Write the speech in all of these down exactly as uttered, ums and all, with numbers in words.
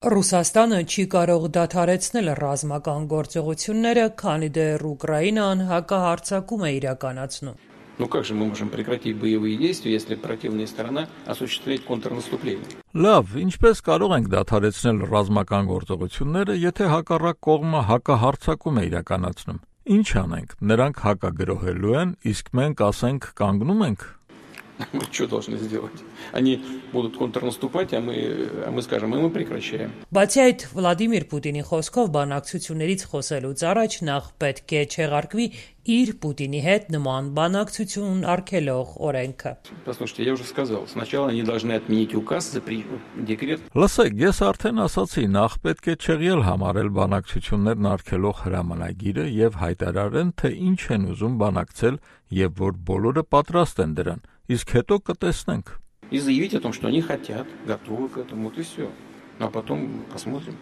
Ռուսաստանը չի կարող դադարեցնել ռազմական գործողությունները, քանի դեռ Ուկրաինան հակահարձակում է իրականացնում։ Ну как же мы можем прекратить боевые действия, если противная сторона осуществляет контрнаступление? Լավ, ինչպես կարող ենք դադարեցնել ռազմական գործողությունները, եթե հակառակ կողմը հակահարձակում է իրականացնում։ Ինչ անենք, նրանք հակագրոհելու են, իսկ մենք ասենք կանգնում ենք։ Мы что должны сделать? Они будут контрнаступать, а мы, а мы скажем, и мы прекращаем. Բացի այդ, Վլադիմիր Պուտինի խոսքով բանակցություններից խոսելուց առաջ նախ պետք է չեղարկվի իր Պուտինի հետ նման բանակցություն արգելող օրենքը։ Послушайте, я уже сказал, сначала они должны отменить указ, запретить декрет. Լսեք, ես արդեն ասացի, նախ պետք է չեղյալ համարել բանակցություններն արգելող հրամանագիրը եւ հայտարարեն, թե ինչ են ուզում բանակցել եւ որ բոլորը պատրաստ են դրան, իսկ հետո կտեսնենք։ И заявить о том, что они хотят, готовы к этому, вот и все. А потом посмотрим.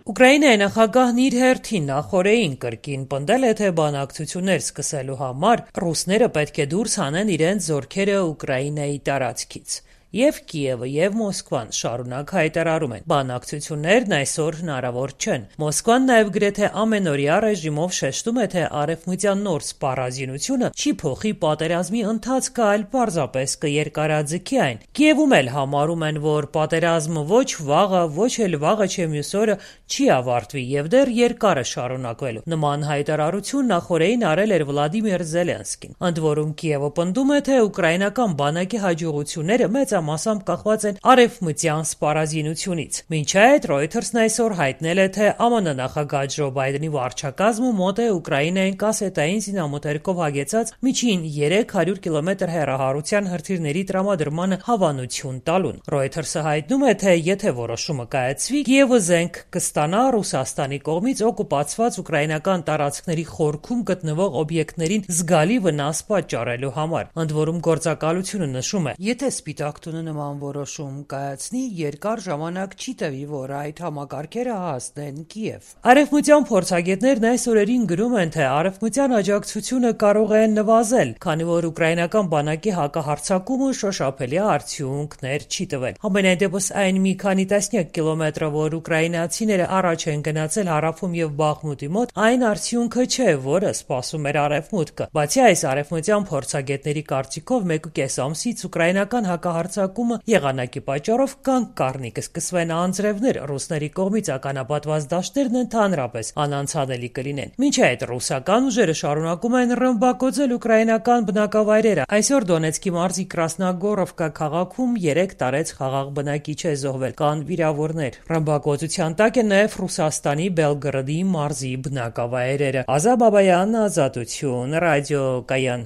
Ուկրաինայի նախագահն իր հերթին նախորդին կրկին պնդել է, թե բանակցություններ սկսելու համար ռուսները պետք է դուրս հանեն իրենց զորքերը Ուկրաինայի տարածքից։ Եվ Կիևը եւ Մոսկվան շարունակ հայտարարում են, բանակցություններն այսօր հնարավոր չեն։ Մոսկվան նաեւ գրեթե ամենօրյա ռեժիմով շեշտում է, թե արևմտյան նոր սպառազինությունը չի փոխի պատերազմի ընթացքը, այլ պարզապես կերկարաձգի այն։ Կիևում էլ համարում են, որ պատերազմը ոչ վաղը, ոչ էլ վաղը չէ մյուս օրը չի ավարտվի եւ դեռ երկար է շարունակվելու։ Նման հայտարարություն նախորդին արել էր Վլադիմիր Զելենսկին։ Ընդ որում Կիևը պնդում է, թե ուկրաինական բանակի հաջողությունները մեծամասամբ կախված են արևմտյան սպառազինությունից։ Մինչ այդ Reuters-ն այսօր հայտնել է, թե ԱՄՆ նախագահ Ջո Բայդենի վարչակազմը մոտ է Ուկրաինային կասետային զինամթերքով հագեցած միջին երեք հարյուր կիլոմետր հեռահարության հրթիռների տրամադրմանը հավանություն տալուն։ Reuters-ը հայտնում է, թե եթե որոշումը կայացվի, Կիևը զենք կստանա Ռուսաստանի կողմից օկուպացված ուկրաինական տարածքների խորքում գտնվող օբյեկտներին զգալի վնաս պատճառելու համար։ Ընդ որում գործակալությունը նշում է, եթե Սպիտակ տունը նման որոշում կայացնի, երկար ժամանակ չի տևի, որ այդ համակարգերը հասնեն Կիև։ Արևմտյան փորձագետներն այս օրերին գրում են, թե արևմտյան աջակցությունը կարող է նվազել, քանի որ ուկրաինական բանակի հակահարձակումը շոշափելի արդյունքներ չի տվել։ Համենայն դեպս այն մի քանի տասնյակ կիլոմետրը, որ ուկրաինացիները առաջ են գնացել հարավում եւ Բախմուտի մոտ, այն արդյունքը չէ, որը սպասում էր արևմուտքը։ Բացի այս, արևմտյան փորձագետների կարծիքով մեկուկես ամսից ուկրաինական հակահարձակումը եղանակի պատճառով կանգ կառնի, կսկսվեն անձրևներ, ռուսների կողմից ականապատված դաշտերն ընդհանրապես անանցանելի կլինեն։ Մինչ այդ ռուսական ուժերը շարունակում են ռմբակոծել ուկրաինական բնակավայրերը։ Այսօր Դոնեցկի մարզի Կրասնագորովկա քաղաքում երեք տարեց խաղաղ բնակիչ է զոհվել, կան վիրավորներ։ Ռմբակոծության տակ են նաև Ռուսաստանի Բելգրադի մարզի բնակավայրերը։ Ազա Բաբայան, Ազատություն, ռադիոկայան։